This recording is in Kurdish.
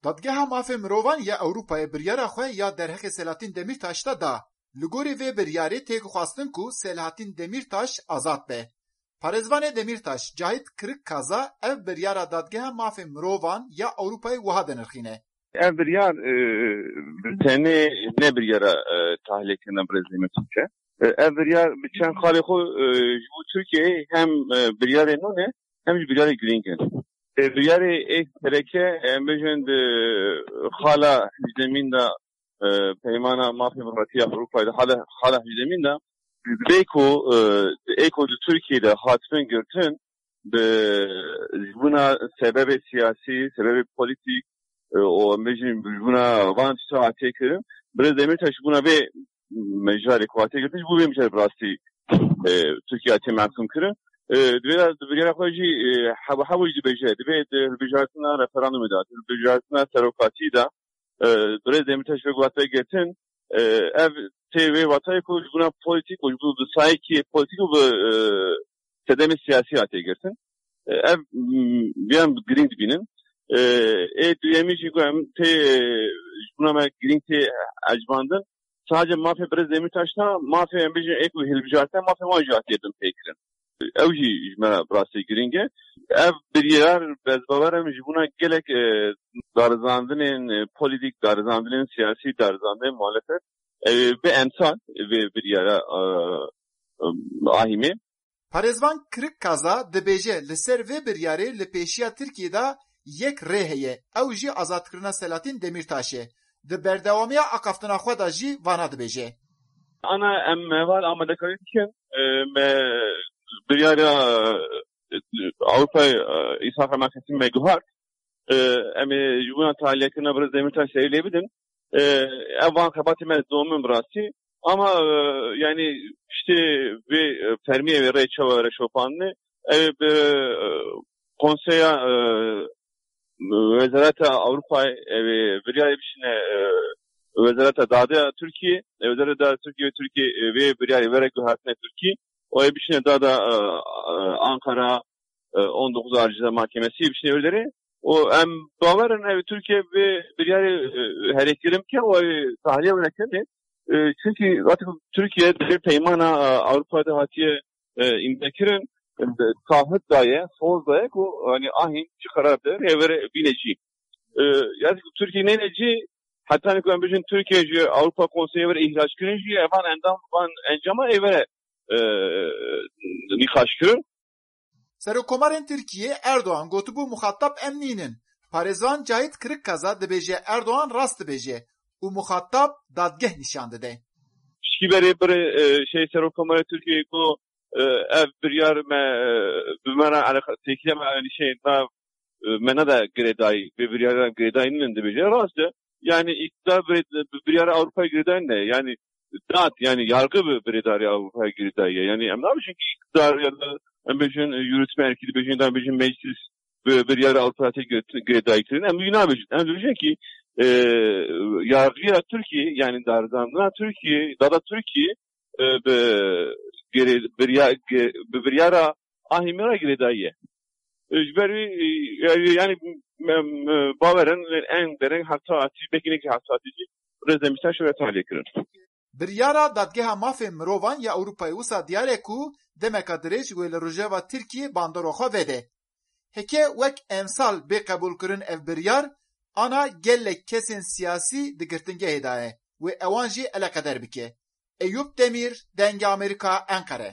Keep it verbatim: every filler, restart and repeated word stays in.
Dadgeha Mafê Mirovan ya Ewropayê biryara xwe ya derheqê Selahattin Demîrtaş de da. Li gorî vê biryarê têk xwestin ku Selahattin Demîrtaş azad be. Parêzvanê Demîrtaş Cahit Kirikkaza ev biryara Dadgeha Mafê Mirovan ya Ewropayê wiha dinirxîne. Ev biryar, e, bi tenê ne biryara, e, tahliyekirina Birêz Demîrtaş e. E, ev biryar bi çend xalê xwe, e, ji bo Tirkiyeyê hem, e, biryarê nû ne, hem jî biryarê girîng in. E, biryarê ê sereke, em bêjin di xala hejdemîn de, e, Peymana Mafê Mirovî ya Ewropayê de xala, xala hejdemîn de, bê ku, e, ê ku di Tirkiyeyê de hatibin girtin, bi, ji bona sebebê siyasî, sebebê polîtîk, e, û em bêjin ji bona van tişta hatiye kirin, Birêz Demîrtaş ji bona vê mijarê ku hatiye girtin, ji bo vê mijarê bi rastî, e, Tirkiye hatiye mehkûm kirin. E, di vê de, di biryara xwe jî, e, Hebo Hebo jî dibêje, divê di hilbijartina referandumê de, hilbijartina serokatî de, e, Birêz Demîrtaş vê ku hatiye girtin, e, ev tê vê watayê ku ji bona polîtîk û ji bo bi sayekî polîtîk û bi, e, sedemê siyasî hatiye girtin. E, ev, m, vêyan girîng dibînin. E, ê duyemî jî ku em tê, e, ji bona me girîng tê ecibandin, sadece mafê Birêz Demîrtaş ne, mafê em bêjin ê ku hilbijartin, mafê wan jî hatiye binpêkirin. Ew jî ji me re bi rastî girîng e. Ev biryar, ez bawer im, ji bona gelek, e, darizandinên, e, polîtîk, darizandinên siyasî, darizandinên muhalefet, e, bi emsal vê biryara, e, e, ahîmê. Parêzvan Kirikkaza dibêje, li ser vê biryarê li pêşiya Tirkiyê de yek rê heye, ew jî azadkirina Selahattin Demîrtaş e. Di berdewamiya axaftina xwe de jî vana dibêje. Ana em heval amadekarî dikin, e, me biryara, e, Ewropayê, e, îsal me guhart. E, em ê ji bona tahliyekirina Birêz Demîrtaş serî lê bidin. E, ev van xebatê me didomin bi rastî. Ama, e, yani, piştê vê, e, fermiyê vê rê çawa were şopandinê, ev ê bi, e, Konseya, e, Wezareta Ewropayê, ev ê biryarê bişîne, e, Wezareta Dadê ya Tirkiyê, e, Wezareta Dadê Tirkiyê, Tirkiyê, e, vê biryarê were guhertine Tirkiyê, û ê bişîne dada, e, e, Ankara, e, on dokuz Ağır Ceza Mahkemesi bişîne wê derê. Û em bawer in ev Tirkiye vê biryarê, e, herêkirin bike û ev tahliye were kirinê. E, çünkü zaten Tirkiye di vê peymana, e, Ewropa de hatiye, e, îmzekirin, e, taahhüt daye, soz daye ku, yani, ahîn çi qerar de rê were bîne cî. E, yani ku Tirkiye neyne cî, heta ku em bêjin Tirkiye ji Ewropa Konseyê were îhrac kirin jî, evan endam, van encama ê were, e, nîqaş kirin. Serokkomarên Tirkiyê Erdogan gotibû, muxatab em nînin. Parêzvan Cahit Kirikkaza dibêje, Erdogan rast dibêje û muxatab dadgeh nîşan dide. Piştî berê birê, e, şey, Serokkomarê Tirkiyê ku, e, ev biryar me, e, bi me re eleqa-, têkiliya me, yani, şey, na, e, me neda girêdayî, vê biryara girêdayî nînin dibêje. Rast e. Yani, îktidar bi, bi biryara Ewropayê girêdayî ne. Yani, dad, yani yargı bi biryara Ewropayê girêdayî ye. Yani, em nabêjin ki îktidar ya da em bêjin, e, yürütme erkî dibêjin, ya da em bêjin meclis bi biryara Ewropayê tê girêdayî kirin. Em wî nabêjin. Em dibêjin ki, e, yargıya Tirkiyê, yani darizandina Tirkiyê, dada Tirkiyê, e, bi girê-, birya-, gi-, bi biryara ahîmê re girêdayî ye. E, ji ber wî, e, yani, yani, em, e, bawer in, en dereng heta hatî, belkî ne ki heta hatî jî, Birêz Demîrtaş were tahliyê kirin. Biryara Dadgeha Mafê Mirovan ya Ewropayê wisa diyar e ku demeka dirêj wê li Rojava Tirkiyê bandora xwe vede. Heke wek emsal bê qebûlkirin ev biryar, ana gelek kesên siyasî di girtingehê de ye, wê ewan jî eleqeder bike. Eyûp Demîr, Dengê Amerîka, Enqere.